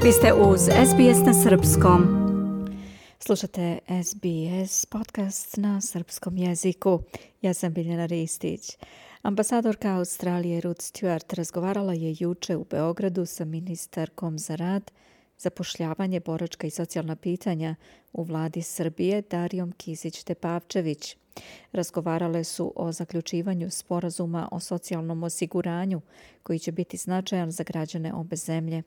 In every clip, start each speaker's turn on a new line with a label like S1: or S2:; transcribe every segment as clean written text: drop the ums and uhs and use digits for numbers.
S1: Vi ste uz SBS na srpskom. Slušate SBS podcast na srpskom jeziku. Ja sam Biljana Ristić. Ambasadorka Australije Ruth Stewart razgovarala je juče u Beogradu sa ministarkom za rad, zapošljavanje, boračka i socijalna pitanja u vladi Srbije Darijom Kisić-Tepavčević. Razgovarale su o zaključivanju sporazuma o socijalnom osiguranju koji će biti značajan za građane obe zemlje.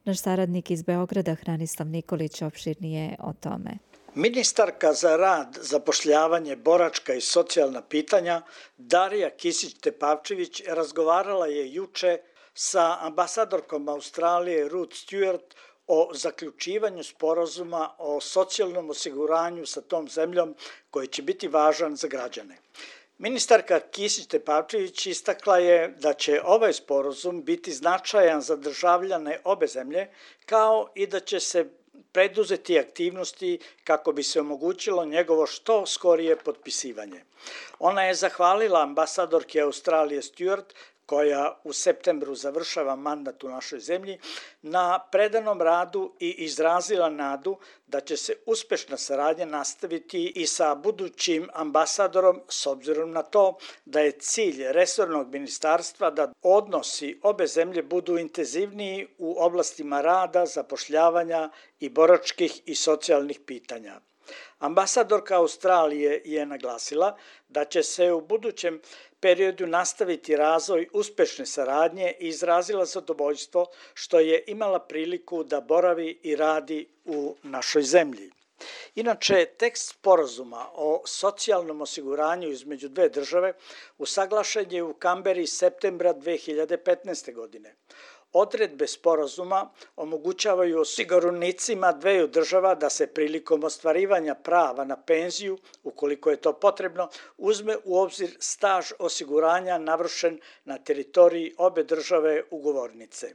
S1: Naš saradnik iz Beograda Hranislav Nikolić opširnije o tome.
S2: Ministarka za rad, zapošljavanje, boračka i socijalna pitanja Darija Kisić-Tepavčević razgovarala je juče sa ambasadorkom Australije Ruth Stewart o zaključivanju sporazuma o socijalnom osiguranju sa tom zemljom koji će biti važan za građane. Ministarka Kisić-Tepavčević istakla je da će ovaj sporazum biti značajan za državljane obe zemlje, kao i da će se preduzeti aktivnosti kako bi se omogućilo njegovo što skorije potpisivanje. Ona je zahvalila ambasadorki Australije Stewart, koja u septembru završava mandat u našoj zemlji, na predanom radu i izrazila nadu da će se uspešna saradnja nastaviti i sa budućim ambasadorom, s obzirom na to da je cilj resornog ministarstva da odnosi obe zemlje budu intenzivniji u oblastima rada, zapošljavanja i boračkih i socijalnih pitanja. Ambasadorka Australije je naglasila da će se u budućem periodu nastaviti razvoj uspešne saradnje i izrazila zadovoljstvo što je imala priliku da boravi i radi u našoj zemlji. Inače, tekst sporazuma o socijalnom osiguranju između dve države usaglašen je u Kamberi septembra 2015. godine. Odredbe sporazuma omogućavaju osiguranicima dveju država da se prilikom ostvarivanja prava na penziju, ukoliko je to potrebno, uzme u obzir staž osiguranja navršen na teritoriji obe države ugovornice.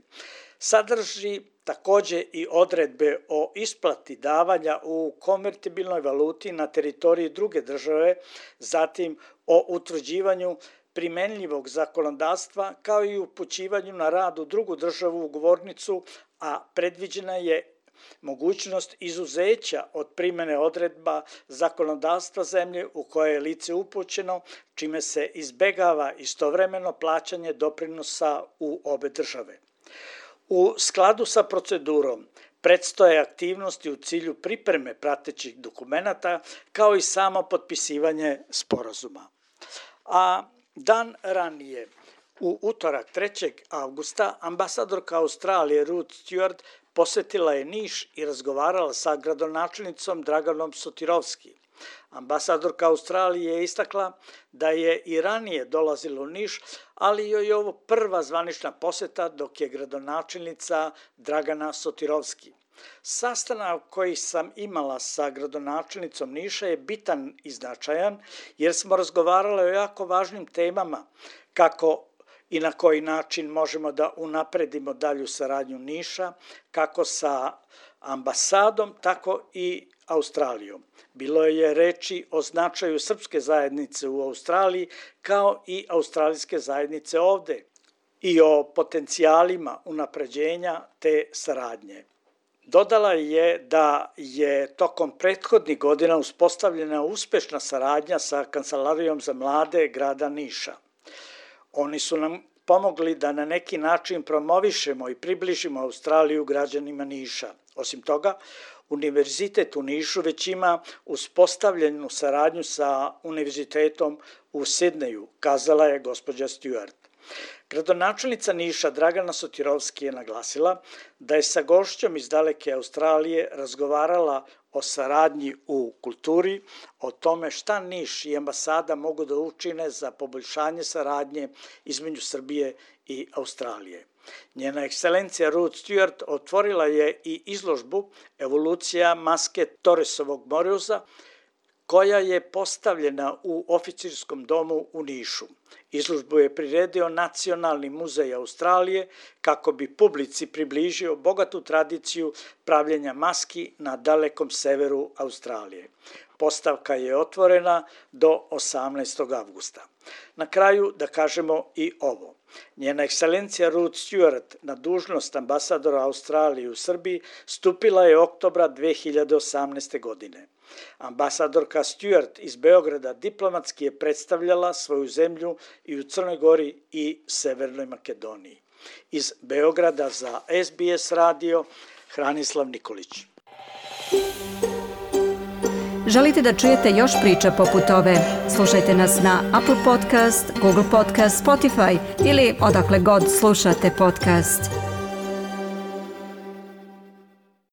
S2: Sadrži takođe i odredbe o isplati davanja u konvertibilnoj valuti na teritoriji druge države, zatim o utvrđivanju primenljivog zakonodavstva kao i upućivanju na rad u drugu državu ugovornicu, a predviđena je mogućnost izuzeća od primene odredba zakonodavstva zemlje u koje je lice upućeno, čime se izbegava istovremeno plaćanje doprinosa u obe države. U skladu sa procedurom predstoje aktivnosti u cilju pripreme pratećih dokumenata kao i samo potpisivanje sporazuma. A dan ranije, u utorak 3. avgusta, ambasadorka Australije Ruth Stewart posetila je Niš i razgovarala sa gradonačelnicom Draganom Sotirovski. Ambasadorka Australije je istakla da je i ranije dolazila u Niš, ali joj je ovo prva zvanična poseta dok je gradonačelnica Dragana Sotirovski. Sastanak koji sam imala sa gradonačelnicom Niša je bitan i značajan jer smo razgovarali o jako važnim temama kako i na koji način možemo da unapredimo dalju saradnju Niša, kako sa ambasadom, tako i Australijom. Bilo je reči o značaju srpske zajednice u Australiji kao i australijske zajednice ovde i o potencijalima unapređenja te saradnje. Dodala je da je tokom prethodnih godina uspostavljena uspešna saradnja sa Kancelarijom za mlade grada Niša. Oni su nam pomogli da na neki način promovišemo i približimo Australiju građanima Niša. Osim toga, Univerzitet u Nišu već ima uspostavljenu saradnju sa Univerzitetom u Sidneju, kazala je gospođa Stewart. Gradonačelnica Niša Dragana Sotirovski je naglasila da je sa gošćom iz daleke Australije razgovarala o saradnji u kulturi, o tome šta Niš i ambasada mogu da učine za poboljšanje saradnje između Srbije i Australije. Njena ekscelencija Ruth Stewart otvorila je i izložbu Evolucija maske Torresovog Moreuza, koja je postavljena u oficirskom domu u Nišu. Izložbu je priredio Nacionalni muzej Australije kako bi publici približio bogatu tradiciju pravljenja maski na dalekom severu Australije. Postavka je otvorena do 18. avgusta. Na kraju da kažemo i ovo. Njena ekscelencija Ruth Stewart na dužnost ambasadora Australije u Srbiji stupila je oktobra 2018. godine. Ambasadorka Stewart iz Beograda diplomatski je predstavljala svoju zemlju i u Crnoj Gori i Severnoj Makedoniji. Iz Beograda za SBS radio Hranislav Nikolić.
S1: Želite da čujete još priča poput ove? Slušajte nas na Apple Podcast, Google Podcast, Spotify ili odakle god slušate podcast.